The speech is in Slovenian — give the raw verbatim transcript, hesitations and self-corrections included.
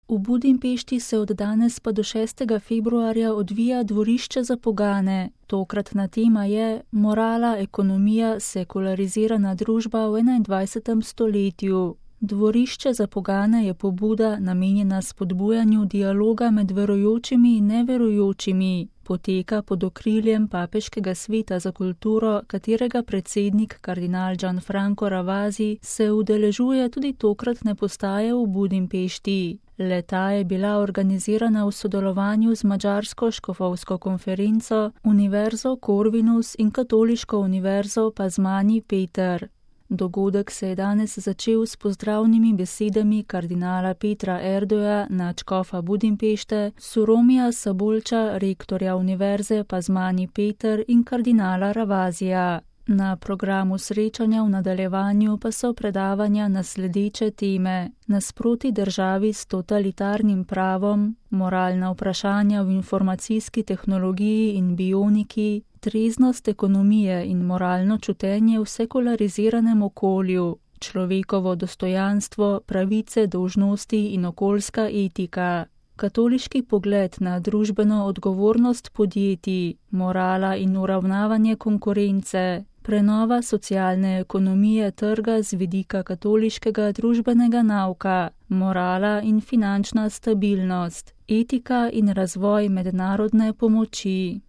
V Budimpešti se od danes pa do šestega februarja odvija dvorišče za pogane. Tokratna tema je Morala, ekonomija, sekularizirana družba v enaindvajsetem stoletju. Dvorišče za pogane je pobuda, namenjena spodbujanju dialoga med verujočimi in neverujočimi. Poteka pod okriljem Papeškega sveta za kulturo, katerega predsednik kardinal Gianfranco Ravasi se udeležuje tudi tokratne postaje v Budimpešti. Le-ta je bila organizirana v sodelovanju z madžarsko škofovsko konferenco, Univerzo Corvinus in Katoliško univerzo Pazmani Peter. Dogodek se je danes začel s pozdravnimi besedami kardinala Petra Erdoja, nadškofa Budimpešte, Suromija Sabolča, rektorja Univerze Pazmani Peter in kardinala Ravasija. Na programu srečanja v nadaljevanju pa so predavanja na sledeče teme: nasproti državi s totalitarnim pravom, moralna vprašanja v informacijski tehnologiji in bioniki, treznost ekonomije in moralno čutenje v sekulariziranem okolju, človekovo dostojanstvo, pravice, dolžnosti in okoljska etika, katoliški pogled na družbeno odgovornost podjetij, morala in uravnavanje konkurence, prenova socialne ekonomije trga z vidika katoliškega družbenega nauka, morala in finančna stabilnost, etika in razvoj mednarodne pomoči.